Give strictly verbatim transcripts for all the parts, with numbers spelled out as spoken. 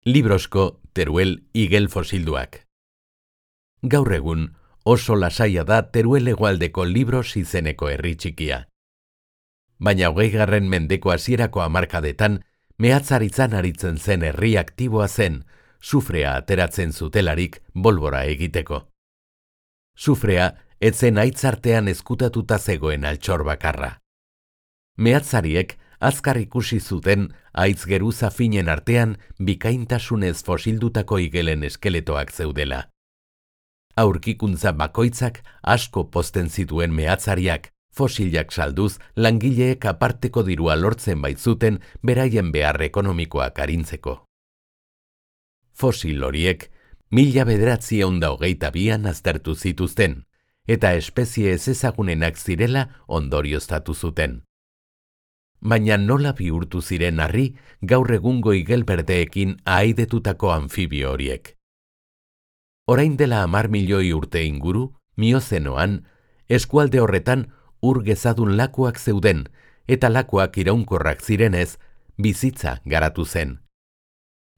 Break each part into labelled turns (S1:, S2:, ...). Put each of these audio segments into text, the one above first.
S1: Librosko Teruel igel fosilduak. Gaur egun oso lasaia da Teruel hegoaldeko Libros izeneko herri txikia. Baina hogeigarren mendeko hasierako hamarkadetan mehatzaritzan aritzen zen herri aktiboa zen, sufrea ateratzen zutelarik bolbora egiteko. Sufrea etzen aitzartean ezkutatuta zegoen altxor bakarra. Mehatzariek azkar ikusi zuten haitz geruza finen artean bikaintasunez fosildutako igelen eskeletoak zeudela. Aurkikuntza bakoitzak asko pozten zituen mehatzariak, fosilak salduz langileek aparteko dirua lortzen baitzuten beraien behar ekonomikoak arintzeko. Fosil horiek mila bederatziehun da hogeita bian aztertu zituzten, eta espezie ezezagunenak zirela ondorioztatu zuten. Baina nola bihurtu ziren harri gaur egungo igel berdeekin ahaidetutako anfibio horiek. Orain dela hamar milioi urte inguru, miozenoan, eskualde horretan ur gezadun lakuak zeuden, eta lakuak iraunkorrak zirenez, bizitza garatu zen.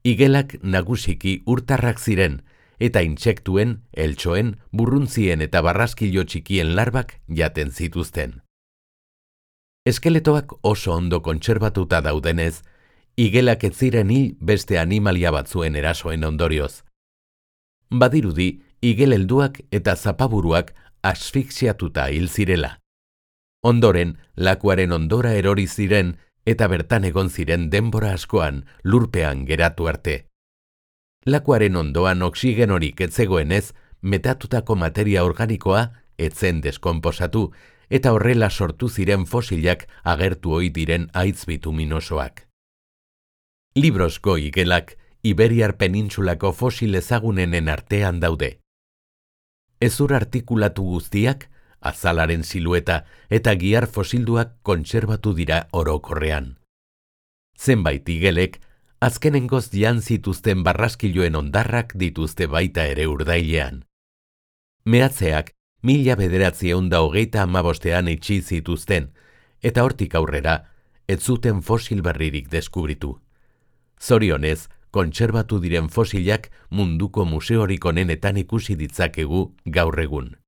S1: Igelak nagusiki urtarrak ziren, eta intsektuen, eltxoen, burruntzien eta barraskilo txikien larbak jaten zituzten. Eskeletoak oso ondo kontserbatuta daudenez, igelak ez ziren hil beste animalia batzuen erasoen ondorioz. Badirudi, igel helduak eta zapaburuak asfixiatuta hil zirela. Ondoren, lakuaren ondora erori ziren eta bertan egon ziren denbora askoan lurpean geratu arte. Lakuaren ondoan oxigenorik ez zegoenez, metatutako materia organikoa etzen deskonposatu, eta horrela sortu ziren fosilak agertu ohi diren haitz bituminosoak. Librosko igelak Iberiar penintsulako fosil ezagunenen artean daude. Hezur artikulatu guztiak, azalaren silueta eta gihar fosilduak kontserbatu dira orokorrean. Zenbait igelek, azkenengoz jan zituzten barraskiloen ondarrak dituzte baita ere urdailean. Mehatzeak mila bederatziehun da hogeita hamabostean itxi zituzten, eta hortik aurrera, ez zuten fosil berririk deskubritu. Zorionez, kontserbatu diren fosilak munduko museorik onenetan ikusi ditzakegu gaur egun.